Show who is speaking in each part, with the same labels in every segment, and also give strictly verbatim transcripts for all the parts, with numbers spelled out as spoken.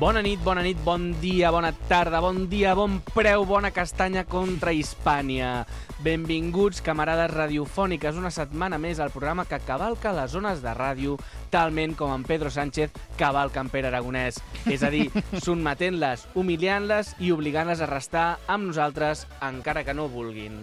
Speaker 1: Bona nit, bona nit, bon dia, bona tarda, bon dia, bon preu, bona castanya contra Hispània. Benvinguts, camarades radiofòniques, una setmana més al programa que cavalca les zones de ràdio, talment com en Pedro Sánchez cavalca en Pere Aragonès. És a dir, sotmetent-les, humiliant-les i obligant-les a restar amb nosaltres, encara que no vulguin.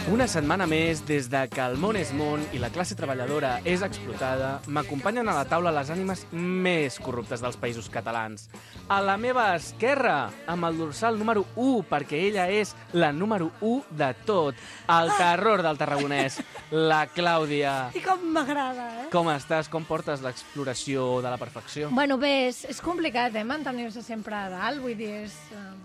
Speaker 1: Una setmana més, des de que el món és món i la classe treballadora és explotada, m'acompanyen a la taula les ànimes més corruptes dels països catalans. A la meva esquerra, amb el dorsal número u, perquè ella és la número u de tot, el terror del tarragonès, la Clàudia.
Speaker 2: I com m'agrada, eh?
Speaker 1: Com estàs? Com portes l'exploració de la perfecció?
Speaker 2: Bueno, bé, és, és complicat, eh, mantenir-se sempre a dalt, vull dir, és... Uh,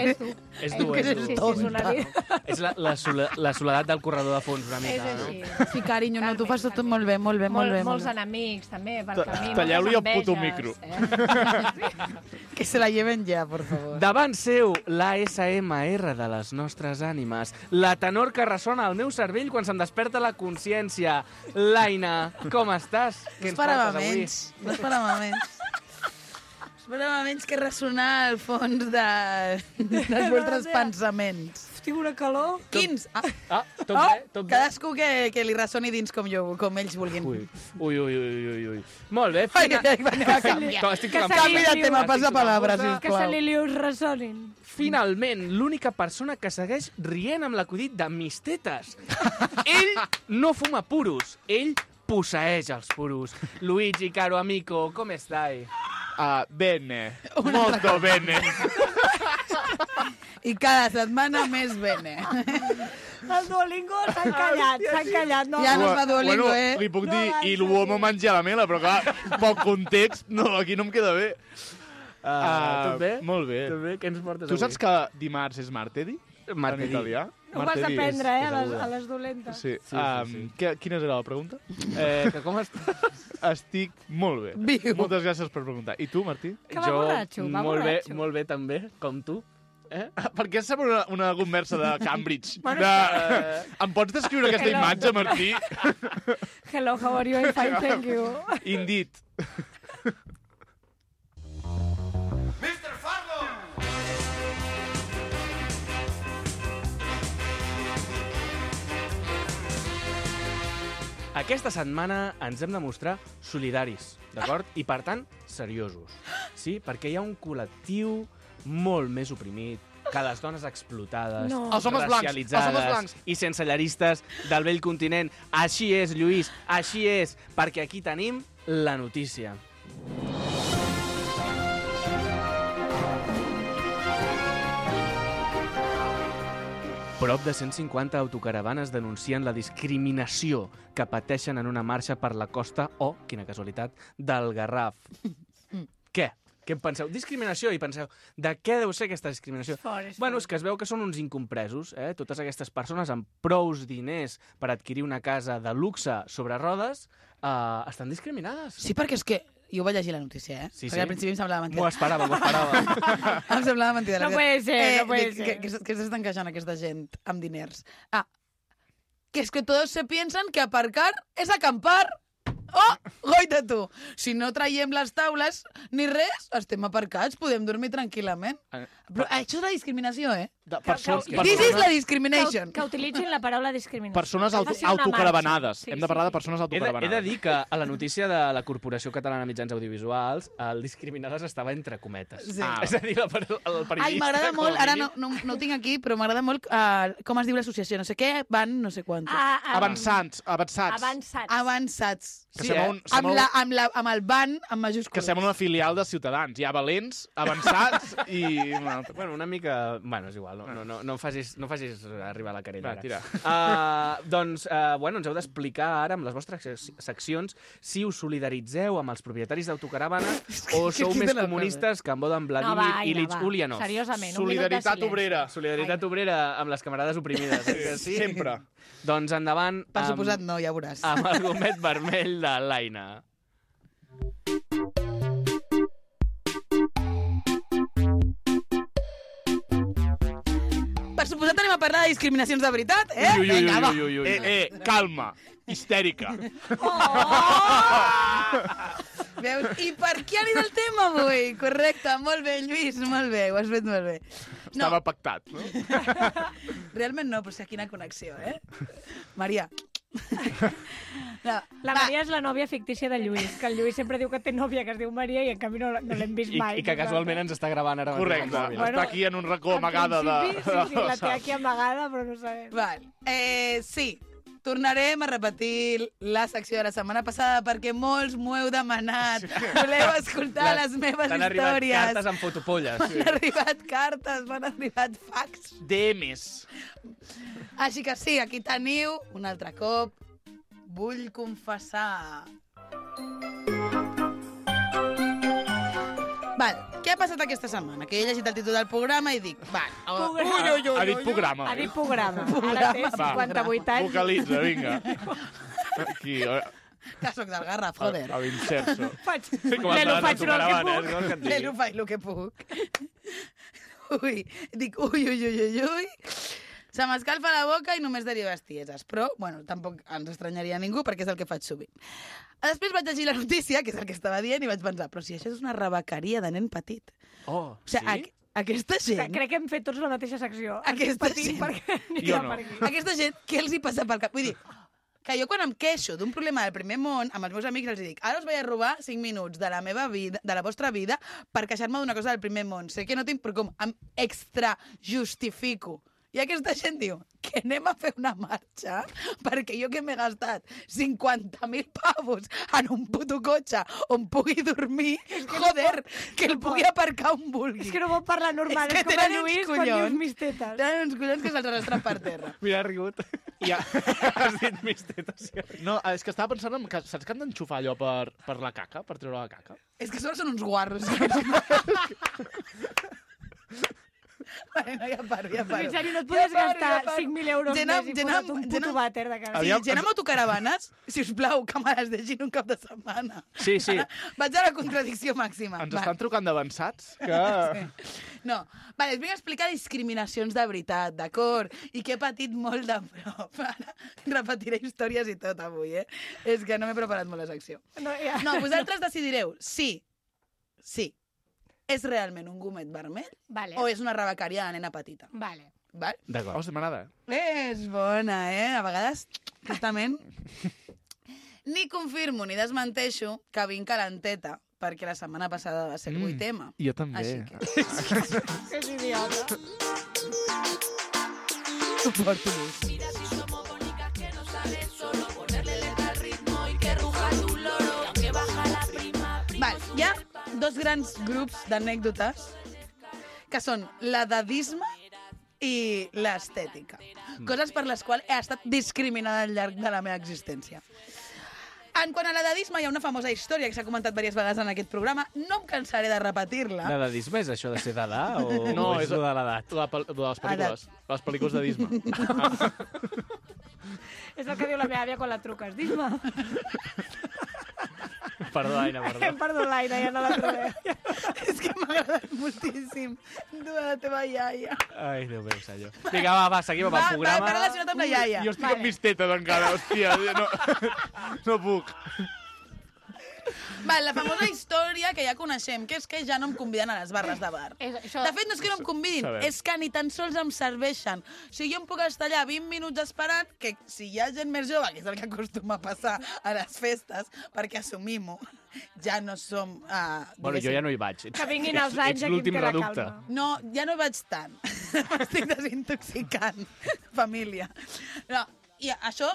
Speaker 2: és dur.
Speaker 1: És dur, és dur.
Speaker 2: Sí, sí, és una vida.
Speaker 1: És la, la, sola, la soledat del corredor de fons, una mica,
Speaker 2: és així.
Speaker 1: no?
Speaker 3: Sí, carinyo, no, tu fas tot molt bé, molt bé, molt,
Speaker 2: molt
Speaker 3: bé.
Speaker 2: Molts
Speaker 3: molt
Speaker 2: enemics, també, pel camí,
Speaker 4: Talleu-li el
Speaker 2: moltes
Speaker 4: puto
Speaker 2: enveges,
Speaker 4: micro.
Speaker 2: Eh?
Speaker 3: Que se la lleven ja, por favor.
Speaker 1: Davant seu, l'A S M R de les nostres ànimes, la tenor que ressona al meu cervell quan se'm desperta la consciència. L'Aina, com estàs?
Speaker 3: No esperava menys, no esperava menys. Esperava menys que ressonar al fons de, dels vostres pensaments.
Speaker 2: Tinc una calor.
Speaker 3: Quins? Ah,
Speaker 1: Ah, tot
Speaker 3: oh,
Speaker 1: bé, tot bé.
Speaker 3: cadascú que, que li ressoni dins com jo, com ells vulguin.
Speaker 1: Ui, ui, ui, ui, ui, ui. Molt bé.
Speaker 3: Ai,
Speaker 1: Fina...
Speaker 3: ai, ai, anem a canviar.
Speaker 1: To- Estic
Speaker 2: Que
Speaker 1: tocant-
Speaker 2: se li-
Speaker 3: Canvi de tema,
Speaker 1: Estic
Speaker 3: passa
Speaker 1: tocant
Speaker 3: palabra,
Speaker 1: bossa.
Speaker 2: Que se
Speaker 3: sisplau.
Speaker 2: li lius ressonin.
Speaker 1: Finalment, l'única persona que segueix rient amb l'acudit de mis tetes. Ell no fuma puros, ell posseeix els puros. Luigi, caro amico, com estai?
Speaker 4: Uh, bene, molto bene.
Speaker 3: I cada setmana més bene.
Speaker 2: El Duolingo s'han callat, s'han callat. No,
Speaker 3: Ja no es fa Duolingo,
Speaker 4: bueno,
Speaker 3: eh?
Speaker 4: Li puc
Speaker 2: No
Speaker 4: dir,
Speaker 2: avança,
Speaker 4: i l'uomo
Speaker 2: sí.
Speaker 4: menja la mela, però clar, pel context, no, aquí no em queda bé.
Speaker 1: Uh,
Speaker 4: Ah,
Speaker 1: tot bé?
Speaker 4: molt bé.
Speaker 1: Tot bé? Què ens portes
Speaker 4: Tu
Speaker 1: avui?
Speaker 4: saps que dimarts és martedi?
Speaker 1: Martedì.
Speaker 4: En italià?
Speaker 2: Ho vas
Speaker 4: Martedì és-
Speaker 2: aprendre, eh,
Speaker 1: és
Speaker 2: a les,
Speaker 1: aguda.
Speaker 2: a les dolentes.
Speaker 4: Sí.
Speaker 1: sí,
Speaker 4: um,
Speaker 1: sí.
Speaker 4: Què, quina era la pregunta?
Speaker 1: Eh, que com estàs?
Speaker 4: Estic molt bé.
Speaker 3: Viu.
Speaker 4: Moltes gràcies per preguntar. I tu, Martí?
Speaker 2: Que va borratxo, va
Speaker 1: molt bé,
Speaker 2: borratxo.
Speaker 1: molt bé també, com tu. Eh?
Speaker 4: Perquè sembla una, una conversa de Cambridge.
Speaker 2: Bueno,
Speaker 4: de... Em pots descriure aquesta
Speaker 2: Hello.
Speaker 4: imatge, Martí?
Speaker 2: Hello, how are you? I'm fine, thank you.
Speaker 4: Indeed.
Speaker 1: Aquesta setmana ens hem de mostrar solidaris, d'acord? I, per tant, seriosos. Sí? Perquè hi ha un col·lectiu molt més oprimit que les dones explotades,
Speaker 2: No.
Speaker 4: Els homes blancs, els homes
Speaker 1: racialitzades
Speaker 4: blancs.
Speaker 1: i sense llaristes del vell continent. Així és, Lluís, així és, perquè aquí tenim la notícia. Prop de cent cinquanta autocaravanes denuncien la discriminació que pateixen en una marxa per la costa o, quina casualitat, del Garraf. Què? Què en penseu? Discriminació, i penseu, de què deu ser aquesta discriminació?
Speaker 2: Fort, és
Speaker 1: Bueno,
Speaker 2: fort.
Speaker 1: és que es veu que són uns incompresos, eh? Totes aquestes persones amb prous diners per adquirir una casa de luxe sobre rodes eh, estan discriminades.
Speaker 3: Sí, perquè és que jo vaig llegir la notícia, eh?
Speaker 1: Sí,
Speaker 3: perquè
Speaker 1: sí.
Speaker 3: al principi em semblava
Speaker 1: M'ho
Speaker 3: mentida.
Speaker 1: esperava, m'ho esperava.
Speaker 3: Em semblava mentida.
Speaker 2: No puede ser, no puede
Speaker 3: dic,
Speaker 2: ser.
Speaker 3: Que, que, que s'estan queixant aquesta gent amb diners. Ah, que es que todos se piensan que aparcar es acampar. Oh, goita tu! Si no traiem les taules ni res, estem aparcats, podem dormir tranquil·lament.
Speaker 1: Eh,
Speaker 3: Però això és la discriminació, eh?
Speaker 4: De persones,
Speaker 2: que-
Speaker 3: This is la
Speaker 2: Que,
Speaker 3: discrimination.
Speaker 2: que utilitzin la paraula discriminació.
Speaker 4: persones auto,
Speaker 2: Ha de ser una
Speaker 4: autocaravanades.
Speaker 2: marxa. Sí,
Speaker 4: Hem de parlar
Speaker 2: sí,
Speaker 4: de persones
Speaker 1: He de, he
Speaker 4: autocaravanades.
Speaker 1: de dir que a la notícia de la Corporació Catalana de Mitjans Audiovisuals el discriminades estava entre cometes.
Speaker 3: Sí.
Speaker 1: Ah, és a dir, la, per- el periodista...
Speaker 3: Ai, m'agrada
Speaker 1: com a
Speaker 3: molt, ara no,
Speaker 1: mínim-
Speaker 3: no, no ho tinc aquí, però m'agrada molt uh, com es diu l'associació, no sé què, van no sé quants.
Speaker 2: Ah, ah,
Speaker 4: Avançats, avançats.
Speaker 2: Avançats.
Speaker 3: Avançats.
Speaker 4: Que
Speaker 1: Sí,
Speaker 4: sembla
Speaker 1: eh?
Speaker 4: un,
Speaker 3: Amb,
Speaker 4: sembla,
Speaker 3: la, amb, la, amb el van amb majúscules.
Speaker 4: que sembla una filial de Ciutadans. Hi ha valents, avançats i... una altra.
Speaker 1: Bueno, una mica... Bueno, és igual, no, no, no, no, em facis, no em facis arribar a la querella.
Speaker 4: Va,
Speaker 1: ara.
Speaker 4: tira.
Speaker 1: Uh, doncs, uh, bueno, ens heu d'explicar ara, amb les vostres sec- seccions, si us solidaritzeu amb els propietaris d'autocaravanes o sou
Speaker 3: Aquí
Speaker 1: més
Speaker 3: te la
Speaker 1: comunistes que en Bodan
Speaker 2: No,
Speaker 1: Vladimir
Speaker 2: va,
Speaker 1: i
Speaker 2: Aina,
Speaker 1: Ilich
Speaker 2: va.
Speaker 1: Ulyanov.
Speaker 2: Seriosament, un minut de
Speaker 4: Solidaritat
Speaker 2: silenci.
Speaker 4: obrera.
Speaker 1: Solidaritat obrera amb les camarades oprimides. eh que sí?
Speaker 4: Sempre.
Speaker 1: Doncs endavant
Speaker 3: Per
Speaker 1: amb,
Speaker 3: suposat no, ja veuràs.
Speaker 1: amb el gomet vermell de l'Aina.
Speaker 3: suposat anem a parlar de discriminacions de veritat, eh?
Speaker 4: Ui, ui, ui,
Speaker 3: Vinga, va.
Speaker 4: ui, ui, ui. Eh, eh, calma. Histèrica.
Speaker 3: Veus? I per què anirà el tema avui? Correcte, molt bé, Lluís, molt bé, ho has fet molt bé. No,
Speaker 4: Estava pactat, no?
Speaker 3: realment no, però sí, quina connexió, eh? Maria. No,
Speaker 2: La
Speaker 3: va.
Speaker 2: Maria és la nòvia fictícia de Lluís, que el Lluís sempre diu que té nòvia que es diu Maria i en canvi no, no l'hem vist
Speaker 1: I,
Speaker 2: mai.
Speaker 1: I que casualment ens està gravant ara. mateix
Speaker 4: Correcte.
Speaker 1: al mòbil.
Speaker 2: Bueno,
Speaker 4: Està aquí en un racó
Speaker 2: En
Speaker 4: amagada de...
Speaker 2: principi, sí, sí, la té aquí amagada, però no sabem.
Speaker 3: Val. Eh, sí, tornarem a repetir la secció de la setmana passada perquè molts m'ho heu demanat. Voleu escoltar les, les meves
Speaker 1: T'han arribat
Speaker 3: històries.
Speaker 1: cartes amb fotopolles.
Speaker 3: M'han arribat cartes, m'han arribat fax.
Speaker 4: D Ms.
Speaker 3: Així que sí, aquí teniu, un altre cop, vull confessar. Val, què ha passat aquesta setmana? Que he llegit el títol del programa i dic, val, oh, ui, ui, ui,
Speaker 4: Ha dit
Speaker 3: ui,
Speaker 4: programa.
Speaker 2: Ha dit programa. Ara té
Speaker 3: Programa.
Speaker 2: cinquanta-vuit anys.
Speaker 4: Vocalitza, vinga. Aquí, a,
Speaker 3: que soc del Garraf,
Speaker 4: a,
Speaker 3: joder.
Speaker 4: a l'inserso.
Speaker 2: Faig,
Speaker 1: Sí, com
Speaker 2: Lelo,
Speaker 1: el de
Speaker 2: faig
Speaker 1: tu
Speaker 2: el que
Speaker 1: caravana,
Speaker 2: puc.
Speaker 1: eh? Què vols que et
Speaker 3: Bé,
Speaker 1: digui?
Speaker 3: no faig el que puc. Ui, dic, ui, ui, ui, ui, ui. Se m'escalfa la boca i només deriva bestieses. Però, bueno, tampoc ens estranyaria a ningú perquè és el que faig sovint. Després vaig llegir la notícia, que és el que estava dient, i vaig pensar, però si això és una rebequeria de nen petit.
Speaker 1: Oh,
Speaker 3: O sigui,
Speaker 1: sí?
Speaker 3: aqu aquesta gent...
Speaker 2: Crec que hem fet tots la mateixa secció.
Speaker 3: Aquesta
Speaker 2: Patim
Speaker 3: gent.
Speaker 2: perquè
Speaker 4: Jo
Speaker 2: anirà
Speaker 4: no.
Speaker 2: per aquí.
Speaker 3: Aquesta gent, què els hi passa pel cap? Vull dir, que jo quan em queixo d'un problema del primer món, amb els meus amics els dic, ara us vaig a robar cinc minuts de la meva vida, de la vostra vida, per queixar-me d'una cosa del primer món. Sé que no tinc, però com em extra justifico. I aquesta gent diu que anem a fer una marxa perquè jo que m'he gastat cinquanta mil pavos en un puto cotxe on pugui dormir, joder, que el pugui aparcar on vulgui.
Speaker 2: És que no pot parlar normal,
Speaker 3: És
Speaker 2: és,
Speaker 3: que
Speaker 2: com el
Speaker 3: tenen uns
Speaker 2: Lluís quan dius
Speaker 3: collons.
Speaker 2: mis tetes.
Speaker 3: Tenen uns collons que se'ls arrastren per terra.
Speaker 1: Mira, ha rigut.
Speaker 4: Ja.
Speaker 1: Has dit mis tetes.
Speaker 4: No, és que estava pensant en que, saps que han d'enxufar allò per, per la caca, per treure la caca?
Speaker 3: És que sols són uns guarros. Vale, no, ja paro, ja paro.
Speaker 2: En sèrio, no et podies
Speaker 3: Ja paro,
Speaker 2: gastar
Speaker 3: ja paro.
Speaker 2: cinc mil euros
Speaker 3: Gent
Speaker 2: més
Speaker 3: amb-
Speaker 2: i
Speaker 3: gent
Speaker 2: posar-te
Speaker 3: amb-
Speaker 2: un
Speaker 3: gent
Speaker 2: puto
Speaker 3: amb-
Speaker 2: vàter de cara.
Speaker 3: Sí,
Speaker 4: Aviam,
Speaker 3: gent
Speaker 4: ens-
Speaker 3: amb autocaravanes, si us plau, que me les deixin un cap de setmana.
Speaker 1: Sí, sí.
Speaker 3: Vaig a la contradicció màxima.
Speaker 4: Ens
Speaker 3: Va.
Speaker 4: estan trucant d'avançats que...
Speaker 3: No, vale, us vinc a explicar discriminacions de veritat, d'acord? I que he patit molt de prop. Ara repetiré històries i tot avui, eh? És que no m'he preparat molt la secció.
Speaker 2: No, ja.
Speaker 3: No, vosaltres decidireu si, sí, és realment un gomet vermell
Speaker 2: Vale.
Speaker 3: o és una rebequeria de nena petita.
Speaker 2: Vale.
Speaker 3: Val?
Speaker 1: D'acord.
Speaker 4: Oh, m'agrada.
Speaker 3: És bona, eh? A vegades, justament, ni confirmo ni desmenteixo que vinc calenteta, perquè la setmana passada va ser el vuit ema.
Speaker 4: Jo també.
Speaker 3: Així que
Speaker 2: Que és idiota.
Speaker 3: suporto més. Val, hi ha dos grans grups d'anècdotes que són l'edadisme i l'estètica. Coses per les quals he estat discriminada al llarg de la meva existència. En quant a l'edadisme, hi ha una famosa història que s'ha comentat diverses vegades en aquest programa. No em cansaré de repetir-la.
Speaker 1: L'edadisme és això de ser d'edat o,
Speaker 4: No,
Speaker 1: o és
Speaker 4: és-
Speaker 1: lo de l'edat?
Speaker 4: La, pel- de les pel·lícules. Les pel·lícules de Disney.
Speaker 2: És el que diu la meva àvia quan la truques. Dis-me.
Speaker 1: Perdó, Aina, perdó.
Speaker 2: Perdó, l'Aina, ja no la trobem.
Speaker 3: És que m'ha agradat moltíssim. Tu, la teva iaia.
Speaker 1: Ai, Déu meu, senyor. Vinga, va, va, seguim amb
Speaker 3: Va,
Speaker 1: el
Speaker 3: va,
Speaker 1: programa.
Speaker 3: va relacionat amb la iaia.
Speaker 4: Jo estic amb mis tetes encara, hòstia. No, no puc.
Speaker 3: Val, la famosa història que ja coneixem, que és que ja no em conviden a les barres de bar.
Speaker 2: És, això...
Speaker 3: De fet, no és que no em convidin,
Speaker 4: Sabem.
Speaker 3: és que ni tan sols em serveixen. O sigui, jo em puc estar allà vint minuts esperant que si hi ha gent més jove, que és el que acostuma a passar a les festes, perquè assumim-ho, ja no som... Uh,
Speaker 1: Bueno, jo ja no hi vaig. Ets,
Speaker 2: Que vinguin els
Speaker 1: ets-
Speaker 2: anys
Speaker 1: ets
Speaker 2: aquí em
Speaker 1: l'últim
Speaker 2: té la
Speaker 1: reducte.
Speaker 2: calma.
Speaker 3: No, ja no vaig tant. M'estic desintoxicant, família. No, i això,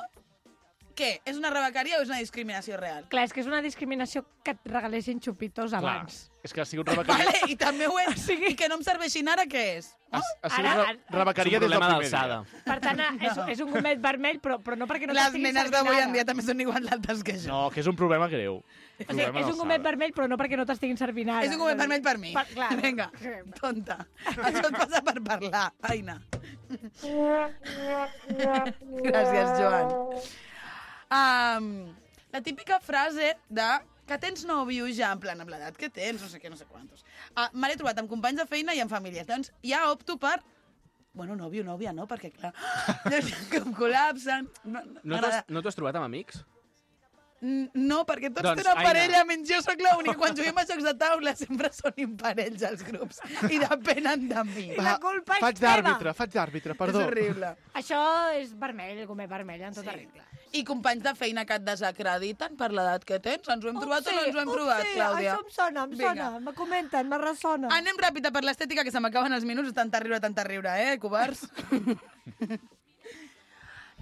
Speaker 3: què? És una rebequeria o és una discriminació real?
Speaker 2: Clar, és que és una discriminació que et regalessin xupitos
Speaker 4: Clar,
Speaker 2: abans.
Speaker 4: és que ha sigut rebequeria...
Speaker 3: Vale, i també ho és. I que no em serveixin ara, què és?
Speaker 4: Ha, ha sigut
Speaker 2: Ara-
Speaker 4: re rebequeria
Speaker 1: És un
Speaker 4: des del
Speaker 1: problema
Speaker 4: primer
Speaker 1: d'alçada.
Speaker 4: dia.
Speaker 2: Per tant, és, és un gomet vermell, però, però no perquè no
Speaker 3: Les
Speaker 2: t'estiguin
Speaker 3: nenes
Speaker 2: servint
Speaker 3: d'avui
Speaker 2: ara.
Speaker 3: en dia també són igual d'altes que jo.
Speaker 4: No, que és un problema greu.
Speaker 2: O sigui, és un gomet vermell, però no perquè no t'estiguin servint ara.
Speaker 3: És un gomet vermell per mi.
Speaker 2: Per, clar.
Speaker 3: Vinga, tonta. Això et passa per parlar, Aina. Gràcies, Joan. Um, la típica frase de que tens nòvio ja, en plan, amb l'edat que tens, no sé què, no sé quantos. Uh, me l'he trobat amb companys de feina i amb famílies. Doncs ja opto per Bueno, nòvio, nòvia, no? Perquè, clar, com col·lapsen...
Speaker 1: No, no t'has no t'has trobat amb amics?
Speaker 3: No, perquè tots
Speaker 1: Doncs,
Speaker 3: tenen
Speaker 1: Aina.
Speaker 3: parella, menys jo soc l'única. Quan juguem a jocs de taula sempre són imparells els grups i depenen de mi.
Speaker 2: I la culpa és
Speaker 4: Faig
Speaker 2: teva.
Speaker 4: d'àrbitre, faig d'àrbitre, perdó.
Speaker 3: És horrible.
Speaker 2: Això és vermell, gomer vermell, en tota
Speaker 3: Sí.
Speaker 2: regla.
Speaker 3: I companys de feina que et desacrediten per l'edat que tens. Ens ho hem trobat o no ens ho hem provat, Clàudia?
Speaker 2: Això em sona, em
Speaker 3: Vinga.
Speaker 2: sona. Me comenten, me ressona.
Speaker 3: Anem ràpida per l'estètica, que se m'acaben els minuts. Tanta riure, tanta riure, eh, covards?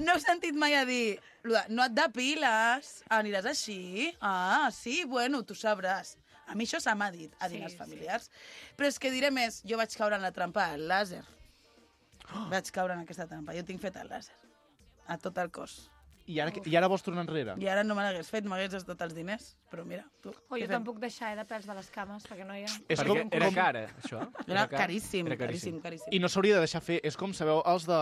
Speaker 3: No heu sentit mai a dir, lo de, no et depiles, aniràs així? Ah, sí, bueno, tu sabràs. A mi això se m'ha dit a dinars
Speaker 2: Sí,
Speaker 3: familiars. Però és que diré més, jo vaig caure en la trampa del làser. Vaig caure en aquesta trampa. Jo tinc fet el làser. A tot el cos.
Speaker 4: I ara, I ara vols tornar enrere?
Speaker 3: I ara no me l'hagués fet, m'hagués gastat els diners. Però mira, tu...
Speaker 2: Oh,
Speaker 3: què
Speaker 2: jo
Speaker 3: fem?
Speaker 2: tampoc deixar eh, de pèls de les cames, perquè no hi ha...
Speaker 4: És
Speaker 1: Perquè
Speaker 4: com,
Speaker 1: era
Speaker 4: com,
Speaker 1: car, eh, això?
Speaker 3: Era
Speaker 1: car?
Speaker 3: caríssim,
Speaker 1: Era
Speaker 3: caríssim, caríssim.
Speaker 4: I no s'hauria de deixar fer. És com, sabeu, els de,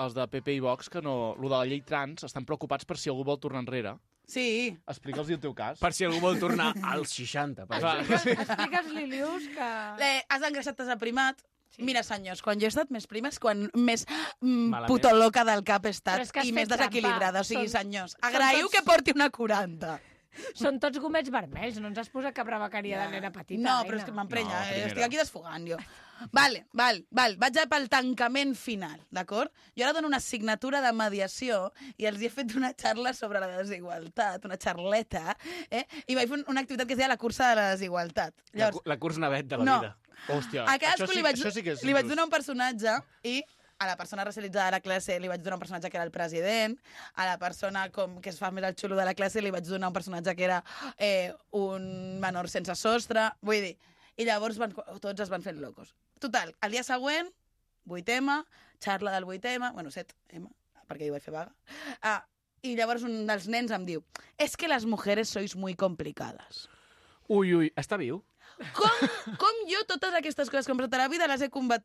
Speaker 4: els de P P i Vox, que no, lo de la llei trans, estan preocupats per si algú vol tornar enrere.
Speaker 3: Sí,
Speaker 4: Explica'ls el teu cas.
Speaker 1: Per si algú vol tornar als seixanta, per exemple.
Speaker 2: Explica'ls, Lilius, que...
Speaker 3: eh, has engreixat, t'has aprimat. Sí. Mira, senyors, quan jo he estat més prima és quan més mm,
Speaker 1: Malament.
Speaker 3: puto loca del cap he estat
Speaker 2: Però és que has
Speaker 3: i
Speaker 2: fet
Speaker 3: més desequilibrada.
Speaker 2: trampa.
Speaker 3: O sigui,
Speaker 2: Són-
Speaker 3: senyors,
Speaker 2: són
Speaker 3: agraïu
Speaker 2: tots-
Speaker 3: que porti una quaranta.
Speaker 2: Són tots gomets vermells, no ens has posat cap rebequeria de nena petita.
Speaker 3: No,
Speaker 2: Aina.
Speaker 3: però és que m'emprenya,
Speaker 4: No,
Speaker 3: eh?
Speaker 4: primera.
Speaker 3: Estic aquí desfogant, jo. Vale, val, val. Vaig pel tancament final, d'acord? Jo ara dono una assignatura de mediació i els he fet una xarra sobre la desigualtat, una xarleta, eh? I vaig fer una activitat que es deia la cursa de la desigualtat.
Speaker 1: La,
Speaker 3: Llavors,
Speaker 1: cu- la curs navet de la
Speaker 3: no,
Speaker 1: vida.
Speaker 4: Hòstia,
Speaker 3: a
Speaker 4: això
Speaker 3: cadascú
Speaker 4: sí,
Speaker 3: li vaig,
Speaker 4: això sí que és
Speaker 3: li vaig
Speaker 4: injust.
Speaker 3: donar un personatge i a la persona racialitzada de la classe li vaig donar un personatge que era el president, a la persona com que es fa més el xulo de la classe li vaig donar un personatge que era eh, un menor sense sostre, vull dir, i llavors van, tots es van fent locos. Total, el dia següent, vuit ema, xarla del vuit ema, bueno, set ema, perquè jo vaig fer vaga, ah, i llavors un dels nens em diu, és que les mujeres sois muy complicadas.
Speaker 1: Ui, ui, està viu?
Speaker 3: Com, com jo totes aquestes coses que em a la vida les he combat,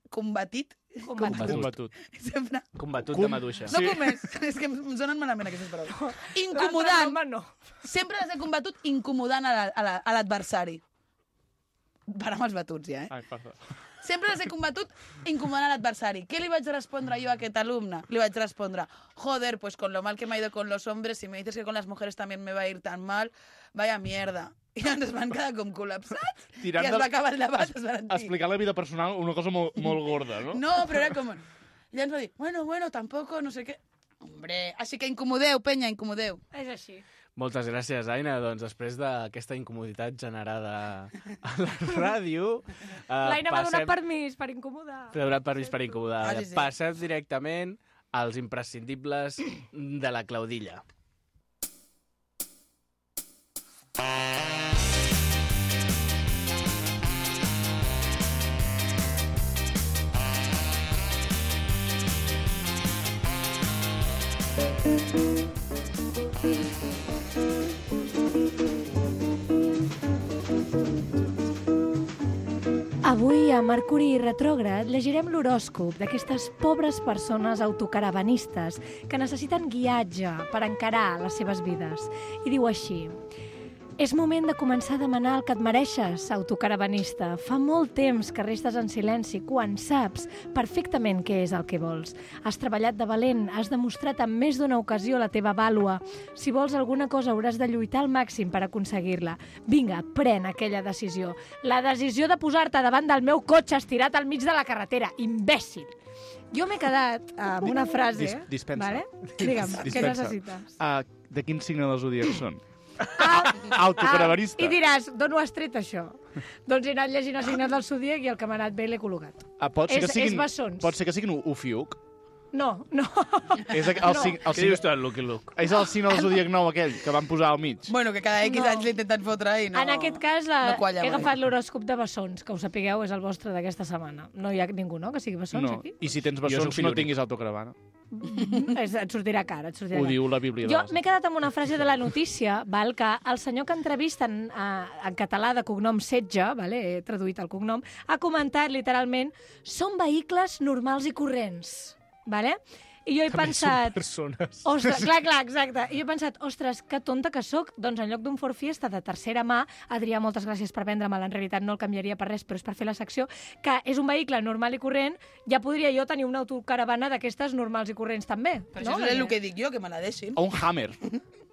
Speaker 3: combatit?
Speaker 2: Combatut.
Speaker 4: Combatut.
Speaker 3: Sempre.
Speaker 1: Combatut
Speaker 4: Com-
Speaker 1: de maduixa.
Speaker 3: No puc més. És que em sonen malament aquestes paraules.
Speaker 2: L'altre
Speaker 3: Incomodant.
Speaker 2: home no.
Speaker 3: Sempre les he combatut incomodant a la- a la- a l'adversari. Per amb els batuts, ja, eh?
Speaker 4: Ai, perdó.
Speaker 3: Sempre les he combatut incomodant a l'adversari. ¿Qué le vaig respondre yo a aquest alumne? Le vaig respondre, joder, pues con lo mal que me ha ido con los hombres, si me dices que con las mujeres también me va a ir tan mal, vaya mierda. I ens van quedar com col·lapsats
Speaker 4: Tirant
Speaker 3: i es
Speaker 4: de-
Speaker 3: va acabar el debat. Es van dir.
Speaker 4: Explicar la vida personal, una cosa molt, molt gorda, no?
Speaker 3: No, però era com... I ens va dir, bueno, bueno, tampoco, no sé què. Hombre, així que incomodeu, penya, incomodeu.
Speaker 2: És així.
Speaker 1: Moltes gràcies, Aina. Doncs després d'aquesta incomoditat generada a la ràdio... eh,
Speaker 2: L'Aina m'ha donat
Speaker 1: passem-
Speaker 2: permís per incomodar.
Speaker 1: T'ha donat permís per incomodar.
Speaker 3: Ah, sí, sí.
Speaker 1: Passem directament als imprescindibles de la Claudilla.
Speaker 2: Avui, a Mercuri Retrògrad, llegirem l'horòscop d'aquestes pobres persones autocaravanistes que necessiten guiatge per encarar les seves vides. I diu així: és moment de començar a demanar el que et mereixes, autocaravanista. Fa molt temps que restes en silenci quan saps perfectament què és el que vols. Has treballat de valent, has demostrat en més d'una ocasió la teva vàlua. Si vols alguna cosa hauràs de lluitar al màxim per aconseguir-la. Vinga, pren aquella decisió. La decisió de posar-te davant del meu cotxe estirat al mig de la carretera. Imbècil! Jo m'he quedat amb una frase...
Speaker 4: Dis- dispensa.
Speaker 2: Vale? Digue'm, què
Speaker 4: Dispensa.
Speaker 2: necessites?
Speaker 4: Uh, de quin signe del zodíac són?
Speaker 2: Ah,
Speaker 4: Autocaravanista.
Speaker 2: I diràs, d'on ho has tret, això? Doncs he anat llegint els signes del zodíac i el que m'ha anat bé l'he col·locat.
Speaker 4: Ah, pot ser
Speaker 2: És-
Speaker 4: que siguin,
Speaker 2: és bessons.
Speaker 4: pot ser que siguin Ufiuc.
Speaker 2: No, no.
Speaker 4: És el, el,
Speaker 2: No.
Speaker 4: sig- el,
Speaker 1: Què dius tu,
Speaker 4: signe,
Speaker 1: el Lucky Luke?
Speaker 4: és el signe del zodíac nou aquell que van posar al mig.
Speaker 3: Bueno, que cada X
Speaker 2: No.
Speaker 3: anys l'intenten fotre i no...
Speaker 2: En aquest cas, la,
Speaker 3: no qualla
Speaker 2: he
Speaker 3: mai.
Speaker 2: agafat l'horòscop de bessons, que ho sapigueu, és el vostre d'aquesta setmana. No hi ha ningú, no?, que sigui bessons,
Speaker 4: No.
Speaker 2: aquí?
Speaker 4: I si tens
Speaker 1: Jo soc
Speaker 4: bessons,
Speaker 1: fill
Speaker 4: no
Speaker 1: únic.
Speaker 4: tinguis autocaravana.
Speaker 2: És, et sortirà cara, et sortirà
Speaker 4: Ho
Speaker 2: cara.
Speaker 4: diu la Bíblia de
Speaker 2: Jo
Speaker 4: les...
Speaker 2: m'he quedat amb una frase de la notícia, val, que el senyor que entrevisten eh, en català de cognom Setge, vale, he traduït el cognom, ha comentat literalment: són vehicles normals i corrents. Vale? I jo he
Speaker 1: També
Speaker 2: pensat...
Speaker 1: són persones.
Speaker 2: Ostres, clar, clar, exacte. I jo he pensat, ostres, que tonta que sóc. Doncs en lloc d'un Ford Fiesta de tercera mà, Adrià, moltes gràcies per vendre-me'l, en realitat no el canviaria per res, però és per fer la secció, que és un vehicle normal i corrent, ja podria jo tenir una autocaravana d'aquestes normals i corrents també.
Speaker 3: Per
Speaker 2: no?
Speaker 3: això és el que dic jo, que me la deixin.
Speaker 4: O un Hammer.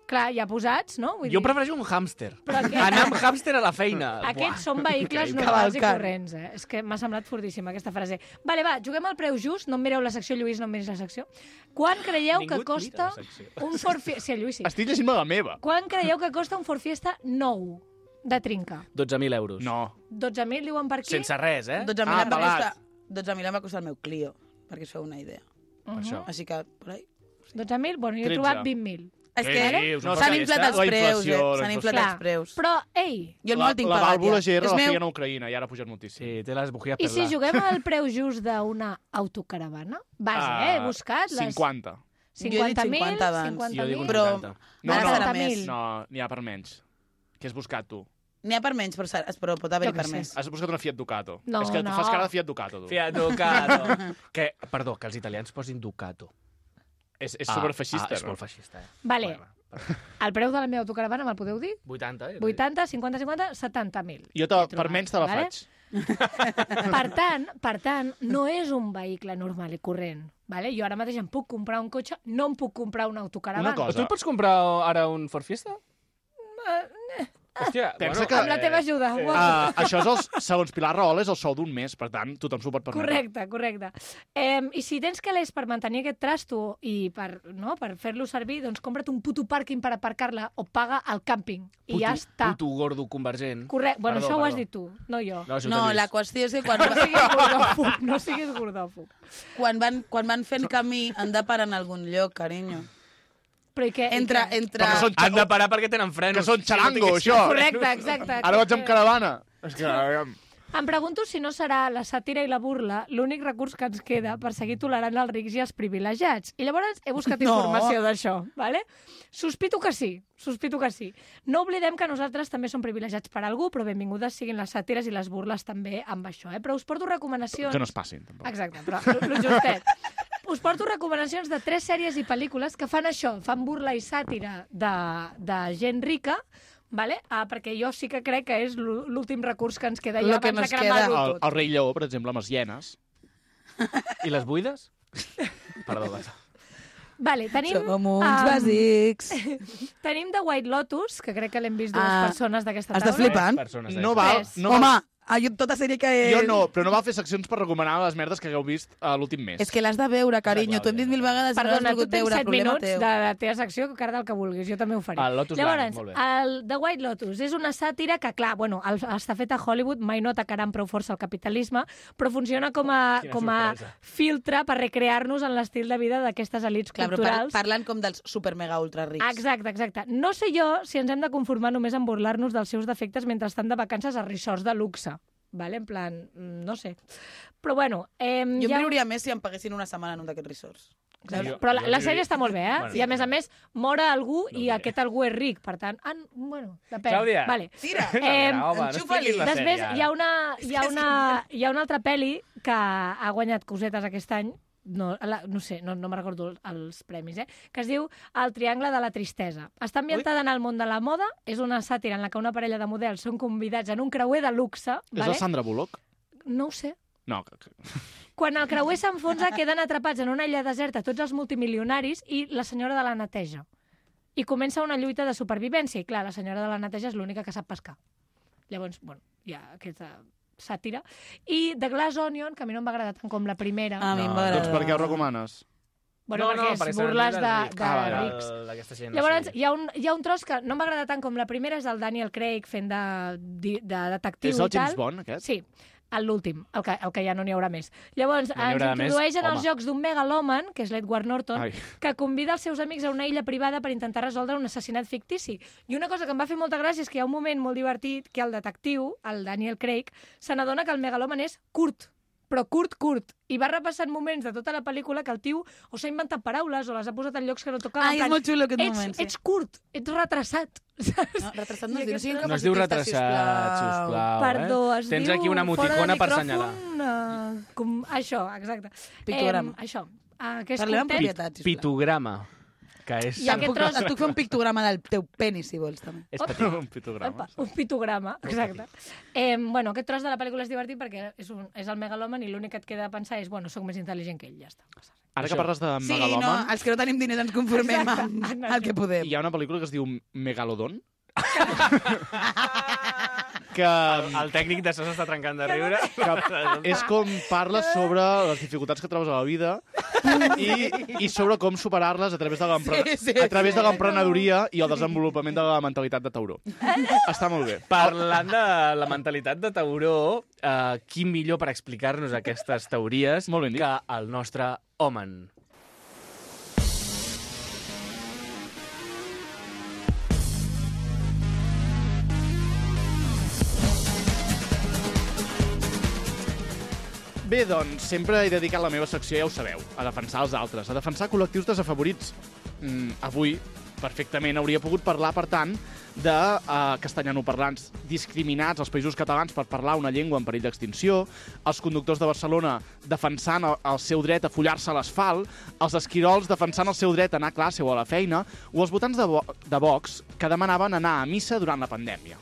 Speaker 2: Clar, ja posats, no? Vull
Speaker 1: Jo
Speaker 2: dir,
Speaker 1: prefereixo un hàmster.
Speaker 2: Però aquest-
Speaker 1: Anar amb hàmster a la feina.
Speaker 2: Aquests són vehicles
Speaker 3: Increïble.
Speaker 2: normals i
Speaker 3: Cavalcant.
Speaker 2: corrents, eh? És que m'ha semblat fortíssima aquesta frase. Vale, va, juguem al preu just. No em mireu la secció, Lluís, no em miris la secció. Quan creieu
Speaker 1: Ningú
Speaker 2: que
Speaker 1: et
Speaker 2: costa
Speaker 1: mira la secció.
Speaker 2: un Ford Fiesta... Sí, el Lluís sí.
Speaker 4: Estic llegint-me la meva.
Speaker 2: Quan creieu que costa un Ford Fiesta nou de trinca?
Speaker 1: dotze mil euros.
Speaker 4: No.
Speaker 2: dotze mil diuen per aquí?
Speaker 1: Sense res, eh?
Speaker 3: dotze mil
Speaker 4: Ah,
Speaker 3: em va
Speaker 4: pelat.
Speaker 3: costar... dotze mil em va costar el meu Clio, perquè us feu una idea.
Speaker 2: Uh -huh.
Speaker 1: això.
Speaker 3: Així que, por ahí...
Speaker 2: dotze mil? Bueno, jo he
Speaker 4: tretze.
Speaker 2: trobat vint mil.
Speaker 3: És
Speaker 4: Què
Speaker 3: que
Speaker 4: dius?
Speaker 3: no,
Speaker 4: No,
Speaker 3: s'han
Speaker 4: perquè
Speaker 3: inflat
Speaker 4: està
Speaker 3: els
Speaker 4: la
Speaker 3: preus,
Speaker 4: inflació,
Speaker 3: eh?
Speaker 4: la
Speaker 3: S'han inflat
Speaker 2: inflació.
Speaker 3: els preus.
Speaker 2: Però, ei,
Speaker 3: Jo el
Speaker 4: La,
Speaker 3: meu el tinc
Speaker 4: la
Speaker 3: pagat,
Speaker 4: vàlvula
Speaker 3: ja.
Speaker 4: G R
Speaker 3: És
Speaker 4: la
Speaker 3: meu...
Speaker 4: feien a Ucraïna i ara ha pujat moltíssim.
Speaker 1: Sí, té les bujías
Speaker 2: i
Speaker 1: per
Speaker 2: si
Speaker 1: là.
Speaker 2: juguem al preu just d'una autocaravana? Base, eh? He buscat les...
Speaker 4: cinquanta.
Speaker 2: cinquanta mil,
Speaker 3: cinquanta abans.
Speaker 2: cinquanta
Speaker 1: Jo dic
Speaker 2: mil.
Speaker 1: un
Speaker 3: Però-
Speaker 1: vuitanta.
Speaker 4: No,
Speaker 3: Ara
Speaker 4: no,
Speaker 3: serà
Speaker 2: mil.
Speaker 3: més.
Speaker 4: no, n'hi ha per menys. Què has buscat, tu?
Speaker 3: N'hi ha per menys, però, serà- però pot haver-hi
Speaker 2: Jo què
Speaker 3: per
Speaker 2: sé.
Speaker 3: més.
Speaker 4: Has buscat una Fiat Ducato.
Speaker 2: No,
Speaker 4: És que tu
Speaker 2: no.
Speaker 4: fas cara de Fiat Ducato, tu.
Speaker 1: Fiat Ducato. que, perdó, que els italians posin Ducato.
Speaker 4: És, és
Speaker 1: Ah,
Speaker 4: superfeixista,
Speaker 1: ah, és
Speaker 4: no?
Speaker 1: molt feixista, eh?
Speaker 2: Vale,
Speaker 1: Bueno, perdó.
Speaker 2: el preu de la meva autocaravana me'l podeu dir?
Speaker 1: vuitanta, eh?
Speaker 2: vuitanta, cinquanta, cinquanta, setanta mil.
Speaker 4: Jo te, per menys te la
Speaker 2: Vale?
Speaker 4: faig.
Speaker 2: Per tant, per tant, no és un vehicle normal i corrent. Vale? Jo ara mateix em puc comprar un cotxe, no em puc comprar una autocaravana.
Speaker 4: Una cosa.
Speaker 1: Tu et pots comprar ara un Ford Fiesta? Hòstia,
Speaker 4: Pensa
Speaker 1: bueno,
Speaker 4: que-
Speaker 2: Amb la teva ajuda.
Speaker 1: eh,
Speaker 2: Uau.
Speaker 4: Uh, això és, el, segons Pilar Rahola, és el sou d'un mes, per tant, tothom s'ho pot permetre.
Speaker 2: Correcte, correcte. Eh, I si tens calés per mantenir aquest trasto i per, no, per fer-lo servir, doncs compra't un puto pàrquing per aparcar-la o paga el càmping. I
Speaker 1: puto,
Speaker 2: ja està.
Speaker 1: Puto gordo convergent.
Speaker 2: Correcte. Bueno,
Speaker 1: Perdó,
Speaker 2: això ho has
Speaker 1: perdó.
Speaker 2: dit tu, no jo.
Speaker 1: No, això
Speaker 3: No,
Speaker 1: t'ho he
Speaker 3: la
Speaker 1: vist.
Speaker 3: qüestió és que quan,
Speaker 2: No siguis gordòfob, no siguis gordòfob.
Speaker 3: quan, van, quan van fent camí han de parar en algun lloc, carinyo.
Speaker 2: Però i què? i
Speaker 3: Entre,
Speaker 2: què?
Speaker 3: entre...
Speaker 4: Perquè són
Speaker 1: Han de parar perquè tenen frenos.
Speaker 4: Que són
Speaker 1: Si no
Speaker 4: xarango,
Speaker 1: tingués-
Speaker 4: això.
Speaker 2: Correcte, exacte.
Speaker 4: Ara vaig amb caravana. És que...
Speaker 2: Em pregunto si no serà la sàtira i la burla l'únic recurs que ens queda per seguir tolerant els rics i els privilegiats. I llavors he buscat
Speaker 3: No.
Speaker 2: informació d'això, ¿vale? Sospito que sí, sospito que sí. No oblidem que nosaltres també som privilegiats per algú, però benvingudes siguin les sàtires i les burles també amb això, eh? Però us porto recomanacions...
Speaker 4: Que no es passin, tampoc.
Speaker 2: Exacte, però lo justet. Us porto recomanacions de tres sèries i pel·lícules que fan això, fan burla i sàtira de, de gent rica, vale? ah, perquè jo sí que crec que és l'ú- l'últim recurs que ens queda
Speaker 3: Lo
Speaker 2: ja
Speaker 3: que
Speaker 2: abans de
Speaker 3: nos
Speaker 2: cremar-ho
Speaker 3: queda.
Speaker 4: El,
Speaker 2: tot.
Speaker 4: el rei Lleó, per exemple, amb les hienes.
Speaker 1: I les buides? Perdó, va.
Speaker 2: Vale, tenim,
Speaker 3: Som uns
Speaker 2: um,
Speaker 3: bàsics.
Speaker 2: tenim The White Lotus, que crec que l'hem vist dues
Speaker 3: Ah,
Speaker 2: persones d'aquesta taula.
Speaker 3: estàs flipant?
Speaker 1: Persones
Speaker 4: No
Speaker 1: d'aquestes.
Speaker 4: val,
Speaker 2: Tres.
Speaker 4: no
Speaker 3: Home,
Speaker 4: val,
Speaker 3: ah, jo tota sèrie que...
Speaker 4: jo no, però no val fer seccions per recomanar les merdes que hagueu vist uh, l'últim mes.
Speaker 3: És que l'has de veure, carinyo. T'ho hem dit mil vegades i no
Speaker 2: Perdona,
Speaker 3: l'has
Speaker 2: tu
Speaker 3: volgut
Speaker 2: tens
Speaker 3: veure.
Speaker 2: set
Speaker 3: Problema
Speaker 2: minuts
Speaker 3: teu.
Speaker 2: de la teva secció, que cara del que vulguis, jo també ho faré.
Speaker 1: El Lotus
Speaker 2: Llavors,
Speaker 1: Blanc, molt bé.
Speaker 2: el The White Lotus és una sàtira que, clar, bueno, el, està fet a Hollywood, mai no atacaran prou força el capitalisme, però funciona com a,
Speaker 1: Quina
Speaker 2: com a
Speaker 1: sorpresa.
Speaker 2: filtre per recrear-nos en l'estil de vida d'aquestes elites
Speaker 3: Clar, però par
Speaker 2: culturals.
Speaker 3: parlen com dels super mega ultra rics.
Speaker 2: Exacte, exacte. No sé jo si ens hem de conformar només en burlar-nos dels seus defectes mentre estan de vacances a resorts de luxe. Vale? En plan, mm, no sé. Però bueno... Eh,
Speaker 3: Jo em
Speaker 2: ha...
Speaker 3: riuria més si em paguessin una setmana en un d'aquests resorts.
Speaker 2: Exacte.
Speaker 1: Jo-
Speaker 2: Però la,
Speaker 1: jo
Speaker 2: la
Speaker 1: diria-
Speaker 2: sèrie està molt bé, eh?
Speaker 1: Bueno,
Speaker 2: I a més a més, mor algú
Speaker 1: No
Speaker 2: i
Speaker 1: diré.
Speaker 2: aquest algú és ric, per tant... Ah, bueno, depèn.
Speaker 1: Clàudia.
Speaker 2: Vale.
Speaker 3: Tira!
Speaker 2: Eh,
Speaker 1: No, home, no
Speaker 3: enxufa-li.
Speaker 1: expliquis la
Speaker 2: Després
Speaker 1: sèrie,
Speaker 2: hi ha,
Speaker 1: ara.
Speaker 2: una, hi, ha una, hi ha una altra pel·li que ha guanyat cosetes aquest any, no, la, no sé, no, no me'n recordo els premis, eh? Que es diu El triangle de la tristesa. Està ambientada en el món de la moda, és una sàtira en la que una parella de models són convidats en un creuer de luxe,
Speaker 4: És
Speaker 2: vale?
Speaker 4: la Sandra Bullock?
Speaker 2: No ho sé.
Speaker 4: No, que, que...
Speaker 2: Quan el creuer s'enfonsa, queden atrapats en una illa deserta tots els multimilionaris i la senyora de la neteja. I comença una lluita de supervivència. I clar, la senyora de la neteja és l'única que sap pescar. Llavors, bueno, hi ha aquesta sàtira. I The Glass Onion, que a mi no em va agradar tant com la primera.
Speaker 3: A mi em
Speaker 1: No,
Speaker 3: va
Speaker 4: doncs
Speaker 3: agradar.
Speaker 4: per què ho recomanes?
Speaker 2: Bueno, perquè és
Speaker 1: perquè s'han
Speaker 2: burles
Speaker 1: dit
Speaker 2: de,
Speaker 1: dels
Speaker 2: de
Speaker 1: Ah, vale,
Speaker 2: rics.
Speaker 1: d'aquesta gent,
Speaker 2: Llavors,
Speaker 1: no sé.
Speaker 2: hi ha, un, hi ha un tros que no em va agradar tant com la primera, és el Daniel Craig fent de, de, de detectiu
Speaker 4: És el
Speaker 2: i tal.
Speaker 4: James Bond, aquest?
Speaker 2: Sí, l'últim, el, que, el que ja no n'hi haurà més. Llavors,
Speaker 1: No n'hi
Speaker 2: ens
Speaker 1: haurà més,
Speaker 2: introdueixen els
Speaker 1: home.
Speaker 2: jocs d'un megalòman, que és l'Edward Norton,
Speaker 4: Ai.
Speaker 2: que convida els seus amics a una illa privada per intentar resoldre un assassinat fictici. I una cosa que em va fer molta gràcia és que hi ha un moment molt divertit que el detectiu, el Daniel Craig, se n'adona que el megalòman és curt, però curt, curt. I va repassant moments de tota la pel·lícula que el tio o s'ha inventat paraules o les ha posat en llocs que no tocaven.
Speaker 3: Ai, és molt xulo aquest
Speaker 2: ets,
Speaker 3: moment, sí.
Speaker 2: Ets curt, ets retrasat. Saps?
Speaker 3: No, retrasat no
Speaker 2: I
Speaker 3: es diu, no siguin
Speaker 2: aquest-
Speaker 1: No es diu
Speaker 3: capacitistes,
Speaker 1: retrasat, sisplau.
Speaker 2: Perdó,
Speaker 1: eh?
Speaker 2: es
Speaker 1: Tens
Speaker 2: diu
Speaker 1: aquí una
Speaker 2: fora de
Speaker 1: emoticona per
Speaker 2: micròfon,
Speaker 1: assenyalar.
Speaker 2: Uh, com, això, exacte.
Speaker 3: Pictograma.
Speaker 2: Em, això. Uh, que és
Speaker 3: Parlem amb
Speaker 2: content.
Speaker 3: propietat, sisplau.
Speaker 1: Pitograma. Que és...
Speaker 2: I aquest
Speaker 3: Puc-
Speaker 2: tros-
Speaker 3: Et puc fer un pictograma del teu penis, si vols, també.
Speaker 1: És petit.
Speaker 4: Un pitograma.
Speaker 2: Opa, un pitograma, exacte. Eh, bueno, aquest tros de la pel·lícula és divertit perquè és, un, és el megaloman i l'únic que et queda a pensar és, bueno, sóc més intel·ligent que ell, ja està.
Speaker 4: Ara que
Speaker 1: Això.
Speaker 4: parles de
Speaker 3: Sí, no,
Speaker 4: Megaloman,
Speaker 3: els que no tenim diners ens conformem
Speaker 2: Exacte.
Speaker 3: amb el que podem.
Speaker 4: hi ha una pel·lícula que es diu Megalodon, que,
Speaker 1: El tècnic de so s'està trencant de riure.
Speaker 4: que és com parla sobre les dificultats que trobes a la vida i, i sobre com superar-les a través de l'empre-
Speaker 3: Sí, sí,
Speaker 4: a través
Speaker 3: sí.
Speaker 4: de l'emprenedoria i el desenvolupament de la mentalitat de tauró. Està molt bé.
Speaker 1: Parlant de la mentalitat de tauró, eh, qui millor per explicar-nos aquestes teories
Speaker 4: Molt ben dit.
Speaker 1: que el nostre Omen.
Speaker 4: Bé, doncs, sempre he dedicat la meva secció, ja ho sabeu, a defensar els altres, a defensar col·lectius desafavorits. Mm, avui, perfectament, hauria pogut parlar, per tant, de uh, castellanoparlants discriminats als països catalans per parlar una llengua en perill d'extinció, els conductors de Barcelona defensant el, el seu dret a follar-se a l'asfalt, els esquirols defensant el seu dret a anar a classe o a la feina, o els votants de, Vo de Vox que demanaven anar a missa durant la pandèmia.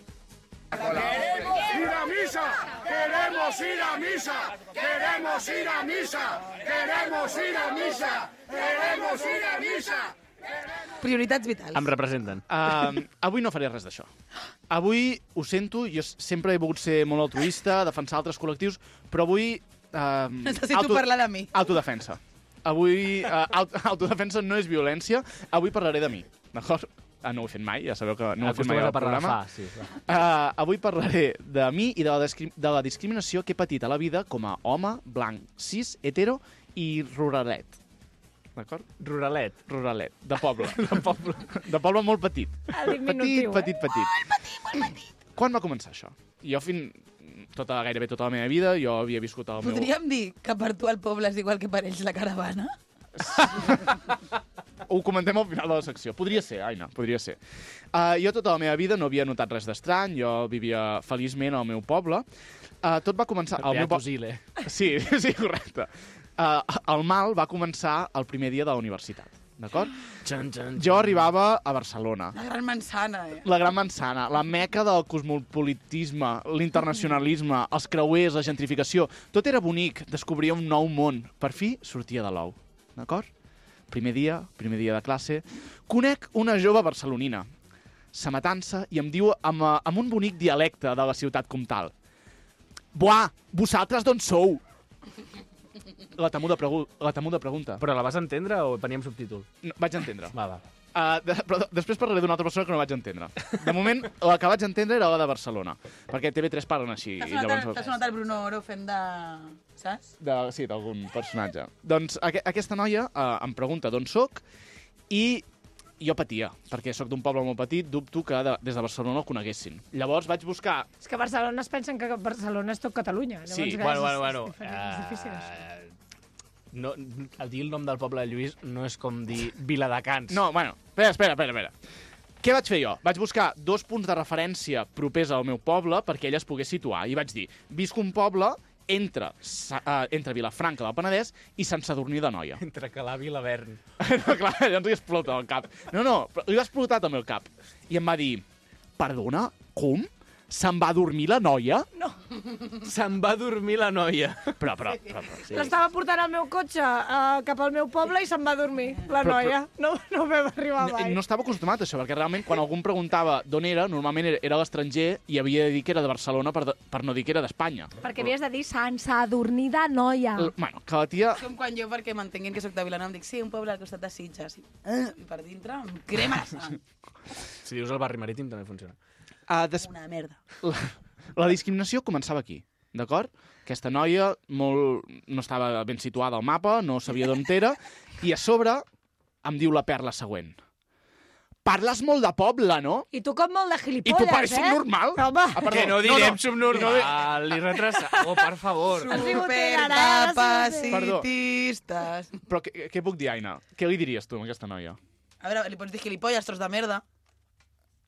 Speaker 5: Ir a misa, queremos ir a misa, queremos ir a misa, queremos ir a misa, queremos ir a misa.
Speaker 3: Prioritats vitals.
Speaker 1: Em representen.
Speaker 4: Uh, avui no faré res d'això. Avui, ho sento, jo sempre he volgut ser molt altruista, defensar altres col·lectius, però avui... Uh,
Speaker 3: Necessito parlar de mi.
Speaker 4: Autodefensa. Avui, uh, aut autodefensa no és violència, avui parlaré de mi, d'acord? Ah, no ho he fet mai, ja sabeu que no ho he fet mai
Speaker 1: Acostumes
Speaker 4: al
Speaker 1: a parlar
Speaker 4: programa.
Speaker 1: fa, sí. va.
Speaker 4: Uh, avui parlaré de mi i de la, de la discriminació que he patit a la vida com a home, blanc, cis, hetero i ruralet. D'acord?
Speaker 1: Ruralet.
Speaker 4: Ruralet, de poble. de poble. De poble molt petit.
Speaker 2: El diminutiu,
Speaker 4: Petit, petit, petit. Molt petit, molt petit. Quan va començar això? Jo fin... Tota, gairebé tota la meva vida, jo havia viscut al meu...
Speaker 3: Podríem dir que per tu el poble és igual que per ells la caravana?
Speaker 4: Ho comentem al final de la secció. Podria ser, Aina, podria ser. Uh, jo tota la meva vida no havia notat res d'estrany, jo vivia feliçment al meu poble. Uh, tot va començar... Al meu
Speaker 1: Beato
Speaker 4: po-
Speaker 1: Zile.
Speaker 4: Sí, sí, correcte. Uh, el mal va començar el primer dia de la universitat, d'acord?
Speaker 1: Xan, xan,
Speaker 4: Jo arribava a Barcelona,
Speaker 3: La gran manzana, eh?
Speaker 4: la gran manzana, la meca del cosmopolitisme, l'internacionalisme, els creuers, la gentrificació. Tot era bonic, descobria un nou món. Per fi sortia de l'ou, d'acord? Primer dia, primer dia de classe. Conec una jove barcelonina, s'amatança i em diu amb, eh, amb un bonic dialecte de la ciutat comtal. Buah, vosaltres d'on sou? La temuda, pregu la temuda pregunta.
Speaker 1: Però la vas entendre o venia amb subtítol?
Speaker 4: No, vaig entendre.
Speaker 1: Va, va.
Speaker 4: Uh, de, però després parlaré d'una altra persona que no vaig entendre. De moment, la que vaig entendre era la de Barcelona, perquè T V tres parlen així.
Speaker 3: T'ha
Speaker 4: i
Speaker 3: sonat,
Speaker 4: llavors...
Speaker 3: el- t'ha sonat el Bruno Oro fent de... Saps?
Speaker 4: De, sí, d'algun personatge. Doncs aqu aquesta noia uh, em pregunta d'on sóc i jo patia, perquè sóc d'un poble molt petit, dubto que de, des de Barcelona el coneguessin. Llavors vaig buscar...
Speaker 2: És que a Barcelona es pensen que Barcelona és tot Catalunya. Llavors,
Speaker 4: Sí,
Speaker 2: clar,
Speaker 1: Bueno,
Speaker 2: és-
Speaker 1: bueno, bueno.
Speaker 2: És, diferent, és difícil, això.
Speaker 1: Eh, no, el dir el nom del poble de Lluís no és com dir Viladecans.
Speaker 4: No, bueno, espera, espera, espera, espera. Què vaig fer jo? Vaig buscar dos punts de referència propers al meu poble perquè ella es pogués situar. I vaig dir, visc un poble entre, uh, entre Vilafranca del Penedès i Sant Sadurní d'Anoia.
Speaker 1: Entre Calaf i l'Avern.
Speaker 4: No, clar, llavors li explota el cap. No, no, però li va explotar també el cap. I em va dir, perdona, com? Se'n va dormir la noia?
Speaker 1: Se'n va dormir la noia.
Speaker 4: Però, però, però, però sí.
Speaker 2: L'estava portant al meu cotxe uh, cap al meu poble i se'n va dormir, la
Speaker 4: Però-
Speaker 2: noia. No, no vam arribar
Speaker 4: No,
Speaker 2: mai.
Speaker 4: no estava acostumat a això, perquè realment quan algú em preguntava d'on era, normalment era, era a l'estranger i havia de dir que era de Barcelona per, de, per no dir que era d'Espanya.
Speaker 2: Perquè havies de dir Sant Sadurní de Noia.
Speaker 4: L- Bueno, que la tia...
Speaker 3: És com quan jo, perquè m'entenguin que sóc de Vilanova, em dic, sí, un poble al costat de Sitges. I, uh, i per dintre em crema la sang.
Speaker 1: Si dius el barri marítim també funciona.
Speaker 4: Uh, des...
Speaker 3: Una merda.
Speaker 4: la, la discriminació començava aquí, d'acord? Aquesta noia molt, no estava ben situada al mapa, no sabia d'on era, i a sobre em diu la perla següent. Parles molt de poble, no?
Speaker 2: I tu com molt de
Speaker 4: I
Speaker 2: gilipolles,
Speaker 4: tu pares
Speaker 2: eh?
Speaker 4: subnormal?
Speaker 2: Home,
Speaker 4: Ah, perdó.
Speaker 1: Que no direm
Speaker 4: no,
Speaker 1: subnormal, li retrasa. Oh, per favor.
Speaker 2: Has vingut ara,
Speaker 3: Supercapacitistes.
Speaker 4: Però què, què puc dir, Aina? Què li diries tu a aquesta noia?
Speaker 3: A veure, li pots dir gilipolles, tros de merda.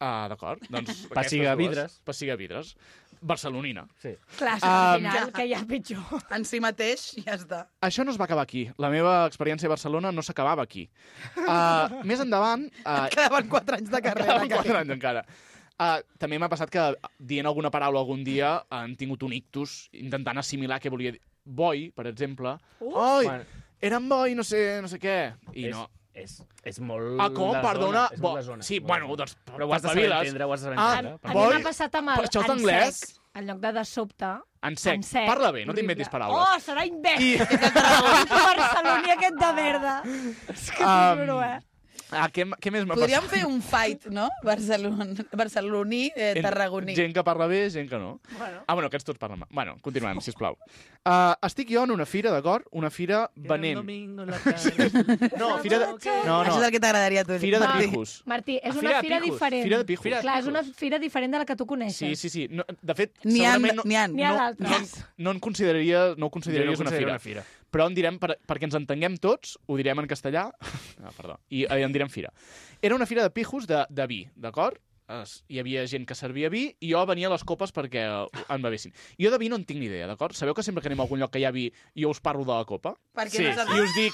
Speaker 4: Ah, d'acord. Doncs
Speaker 1: Pessiga
Speaker 4: aquestes dues.
Speaker 1: vidres.
Speaker 4: Pessiga vidres. barcelonina.
Speaker 1: Sí.
Speaker 2: Clar,
Speaker 4: Um,
Speaker 2: al final, que ja és pitjor.
Speaker 3: En si mateix, ja està.
Speaker 4: Això no es va acabar aquí. La meva experiència a Barcelona no s'acabava aquí. Uh, més endavant... Uh,
Speaker 3: Quedaven quatre anys de carrera.
Speaker 4: Quedaven quatre anys encara. Uh, també m'ha passat que, dient alguna paraula algun dia, han tingut un ictus intentant assimilar què volia dir. Boi, per exemple. Uh, Oi,
Speaker 1: bueno.
Speaker 4: era en boi, no sé, no sé què. I
Speaker 1: és,
Speaker 4: no...
Speaker 1: És, és molt
Speaker 4: Ah, com?
Speaker 1: de
Speaker 4: Perdona?
Speaker 1: Zona. És
Speaker 4: Bo...
Speaker 1: molt de zona.
Speaker 4: Sí,
Speaker 1: Molt
Speaker 4: bueno,
Speaker 1: de zona.
Speaker 4: doncs...
Speaker 1: Però ho has de saber
Speaker 4: espaviles.
Speaker 1: entendre, ho has de saber
Speaker 4: Ah,
Speaker 1: entendre.
Speaker 2: A mi
Speaker 4: Boi,
Speaker 2: m'ha passat amb el
Speaker 4: però això és
Speaker 2: en
Speaker 4: d'anglès?
Speaker 2: sec. En lloc de de sobte.
Speaker 4: En sec.
Speaker 2: En sec.
Speaker 4: Parla bé, no
Speaker 2: Horrible.
Speaker 4: t'inventis paraules.
Speaker 2: Oh, serà imbècil. I... Barceloní aquest de merda. És que t'ho
Speaker 4: Um,
Speaker 2: juro, eh?
Speaker 4: Ah, què, què més m'ha
Speaker 3: Podríem
Speaker 4: passat?
Speaker 3: fer un fight, no? Barcelon... Barceloní, eh, tarragoní.
Speaker 4: Gent que parla bé, gent que no.
Speaker 2: Bueno.
Speaker 4: Ah, bueno, aquests tots parlen mal. Bueno, continuem, sisplau. Uh, estic jo en una fira, d'acord? Una fira venent. No, fira de... No,
Speaker 3: Això és
Speaker 4: no.
Speaker 3: el que t'agradaria a tu.
Speaker 4: Fira de
Speaker 3: Martí.
Speaker 4: pijos.
Speaker 2: Martí, és
Speaker 1: Ah,
Speaker 2: una
Speaker 1: fira de
Speaker 2: fira
Speaker 1: pijos.
Speaker 2: diferent.
Speaker 4: Fira de pijos.
Speaker 2: Clar, és una fira diferent de la que tu coneixes.
Speaker 4: Sí, sí, sí. No, de fet,
Speaker 3: N'hi ha,
Speaker 4: segurament no,
Speaker 3: n'hi ha.
Speaker 2: N'hi ha
Speaker 4: no,
Speaker 2: d'altres.
Speaker 4: no, no en consideraria, no ho consideraries
Speaker 1: Jo no
Speaker 4: una fira.
Speaker 1: una fira.
Speaker 4: Però en direm, per, perquè ens entenguem tots, ho direm en castellà, ah, perdó, i eh, en direm fira. Era una fira de pijos de, de vi, d'acord? Es, hi havia gent que servia vi i jo venia a les copes perquè eh, en bevessin. Jo de vi no en tinc ni idea, d'acord? Sabeu que sempre que anem a algun lloc que hi ha vi jo us parlo de la copa?
Speaker 3: Perquè
Speaker 1: Sí,
Speaker 3: no saps...
Speaker 4: I us dic,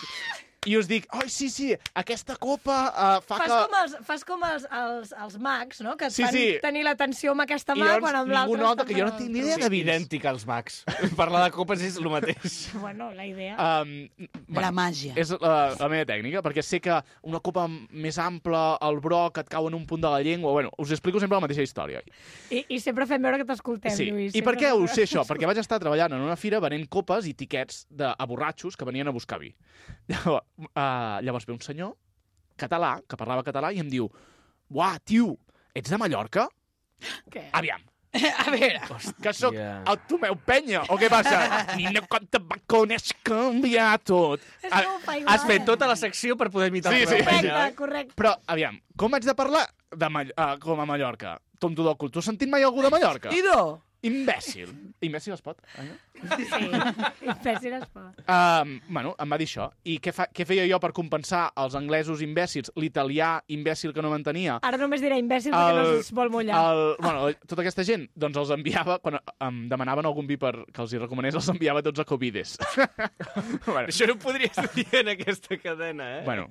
Speaker 4: i us dic, oi, sí, sí, aquesta copa uh, fa
Speaker 2: Fas
Speaker 4: que...
Speaker 2: com, els, fas com els, els, els mags, no? Que et
Speaker 4: Sí,
Speaker 2: fan
Speaker 4: sí.
Speaker 2: tenir l'atenció amb aquesta
Speaker 4: I
Speaker 2: mà
Speaker 4: llavors
Speaker 2: quan amb
Speaker 4: ningú
Speaker 2: l'altra...
Speaker 4: nota
Speaker 2: estan
Speaker 4: que jo no
Speaker 2: fent
Speaker 4: tinc ni
Speaker 2: el-
Speaker 4: idea de vins.
Speaker 1: Idèntic als mags. Parlar de copes és el mateix.
Speaker 2: Bueno, la idea...
Speaker 4: Um,
Speaker 3: La màgia.
Speaker 4: És la, la meva tècnica, perquè sé que una copa més ampla, el broc, et cau en un punt de la llengua... Bueno, us explico sempre la mateixa història.
Speaker 2: I, I sempre fem veure que t'escoltem,
Speaker 4: Sí.
Speaker 2: Lluís.
Speaker 4: I per
Speaker 2: sempre
Speaker 4: què ho
Speaker 2: fem
Speaker 4: sé
Speaker 2: veure-
Speaker 4: això? Perquè vaig estar treballant en una fira venent copes i tiquets de, a borratxos que venien a buscar vi. Llavors, uh, llavors ve un senyor català, que parlava català, i em diu: uah, tio, ets de Mallorca?
Speaker 2: Què?
Speaker 4: Aviam,
Speaker 3: A veure,
Speaker 4: que sóc
Speaker 1: Hòstia.
Speaker 4: el Tomeu Penya, o què passa? Nina, com te va conèixer canviar tot.
Speaker 2: És
Speaker 4: Ah,
Speaker 2: que ho fa igual,
Speaker 1: Has fet
Speaker 2: eh?
Speaker 1: tota la secció per poder imitar
Speaker 4: Sí,
Speaker 1: el
Speaker 4: sí.
Speaker 1: Tomeu Penya,
Speaker 2: Correcte,
Speaker 1: eh?
Speaker 2: correcte.
Speaker 4: Però, aviam, com haig de parlar de Mall uh, com a Mallorca? Tonto del cul. Tu has sentit mai algú de Mallorca?
Speaker 3: Ido,
Speaker 4: Imbècil. Imbècil es pot? Eh?
Speaker 2: Sí, imbècil es pot.
Speaker 4: Um, bueno, em va dir això. I què, fa, què feia jo per compensar els anglesos imbècils, l'italià imbècil que no m'entenia?
Speaker 2: Ara només diré imbècil perquè no es vol mullar.
Speaker 4: El, bueno, tota aquesta gent, doncs els enviava, quan em demanaven algun vi per, que els hi recomanés, els enviava tots a Covides. bueno,
Speaker 1: Això no ho podries dir en aquesta cadena, eh?
Speaker 4: bueno,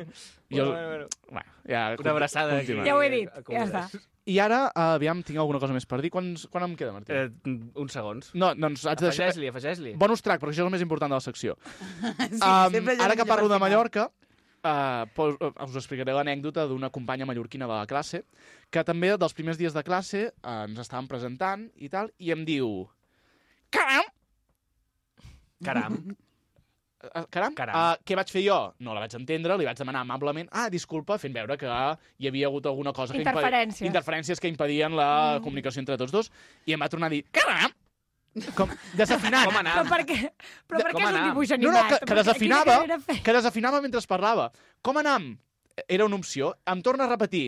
Speaker 4: jo...
Speaker 1: Bueno, bueno.
Speaker 4: Bueno, ja,
Speaker 1: Una abraçada.
Speaker 4: continuem.
Speaker 2: Ja ho he dit, ja està.
Speaker 4: I ara, uh, aviam, tinc alguna cosa més per dir. Quants, quan em queda, Martí?
Speaker 1: Eh, uns segons.
Speaker 4: No, doncs haig de deixar...
Speaker 1: Afegeix-li, afegeix-li.
Speaker 4: Bonus track, perquè això és el més important de la secció.
Speaker 3: sí,
Speaker 4: um,
Speaker 3: sempre hi ha
Speaker 4: ara que
Speaker 3: un
Speaker 4: parlo de
Speaker 3: final.
Speaker 4: Mallorca, uh, pos, uh, us explicaré l'anècdota d'una companya mallorquina de la classe, que també dels primers dies de classe uh, ens estàvem presentant i tal, i em diu... Caram!
Speaker 1: Caram.
Speaker 4: Uh, caram?
Speaker 1: Caram.
Speaker 4: Uh, què vaig fer jo? No la vaig entendre, li vaig demanar amablement ah, disculpa, fent veure que hi havia hagut alguna cosa... Que
Speaker 2: Interferències.
Speaker 4: impedi... Interferències que impedien la mm. comunicació entre tots dos, i em va tornar a dir... Caram! Com, desafinant.
Speaker 1: Com
Speaker 2: Però
Speaker 1: anàvem?
Speaker 2: per què, però per
Speaker 1: Com
Speaker 2: què és un
Speaker 1: anàvem?
Speaker 2: dibuix
Speaker 4: No,
Speaker 2: animat?
Speaker 4: no, que, que
Speaker 2: Perquè
Speaker 4: desafinava,
Speaker 2: quina carrera fe-
Speaker 4: que desafinava mentre parlava. Com anam? Era una opció. Em torna a repetir.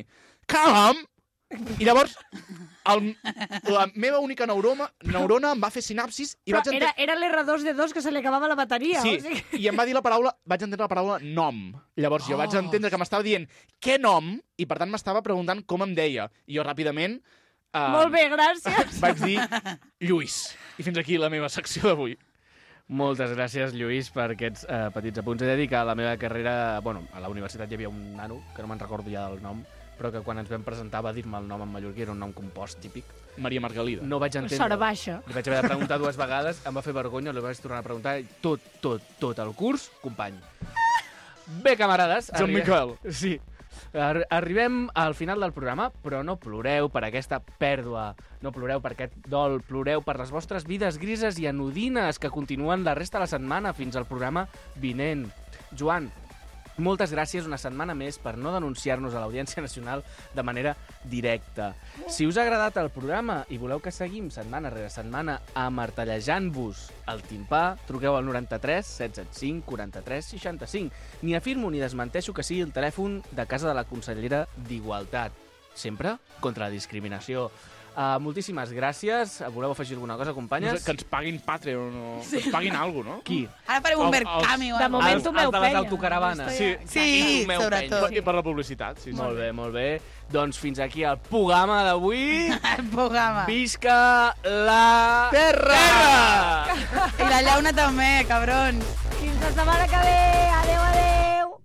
Speaker 4: Caram! I llavors, el, la meva única neuroma, neurona em va fer sinapsis i
Speaker 2: Però
Speaker 4: vaig
Speaker 2: era,
Speaker 4: entendre...
Speaker 2: era l'erre dos de dos que se li acabava la bateria.
Speaker 4: Sí,
Speaker 2: O sigui...
Speaker 4: i em va dir la paraula... Vaig entendre la paraula nom. Llavors jo vaig
Speaker 3: Oh.
Speaker 4: entendre que m'estava dient què nom i per tant m'estava preguntant com em deia. I jo ràpidament... Uh,
Speaker 2: Molt bé, gràcies.
Speaker 4: Vaig dir Lluís. I fins aquí la meva secció d'avui.
Speaker 1: Moltes gràcies, Lluís, per aquests eh, petits apunts. He de dir que a la meva carrera... Bueno, a la universitat hi havia un nano, que no me'n recordo ja del nom, però que quan ens vam presentar va dir-me el nom en mallorquí, era un nom compost típic.
Speaker 4: Maria Margalida.
Speaker 1: No vaig entendre.
Speaker 2: Sort baixa.
Speaker 1: Li vaig haver de preguntar dues vegades, em va fer vergonya, li vaig tornar a preguntar i tot, tot, tot el curs, company. Bé, camarades...
Speaker 4: Joan
Speaker 1: arri-
Speaker 4: Miquel.
Speaker 1: Sí. Ar arribem al final del programa, però no ploreu per aquesta pèrdua, no ploreu per aquest dol, ploreu per les vostres vides grises i anodines que continuen la resta de la setmana fins al programa vinent. Joan, moltes gràcies una setmana més per no denunciar-nos a l'Audiència Nacional de manera directa. Si us ha agradat el programa i voleu que seguim setmana rere setmana amartellejant-vos el timpà, truqueu al noranta-tres set set cinc quaranta-tres seixanta-cinc. Ni afirmo ni desmenteixo que sigui el telèfon de casa de la consellera d'Igualtat. Sempre contra la discriminació. Uh, moltíssimes gràcies. Voleu afegir alguna cosa, companyes?
Speaker 4: No sé, que ens paguin Patreon o sí. que ens paguin alguna cosa, no?
Speaker 1: Qui?
Speaker 3: Ara farem un
Speaker 4: El-
Speaker 3: Mercami o
Speaker 2: De
Speaker 3: alguna
Speaker 2: moment
Speaker 1: Els-
Speaker 2: tu meu
Speaker 1: els de les
Speaker 2: penya.
Speaker 1: autocaravanes.
Speaker 4: Sí.
Speaker 3: Sí,
Speaker 1: Meu
Speaker 3: sobretot.
Speaker 4: I per la publicitat, sí. sí.
Speaker 1: Molt bé, molt bé. Doncs fins aquí el programa d'avui.
Speaker 3: El programa.
Speaker 1: Visca la...
Speaker 4: Terra!
Speaker 1: Terra!
Speaker 3: I la llauna també, cabrons.
Speaker 2: Fins la setmana que ve. Adéu, adéu.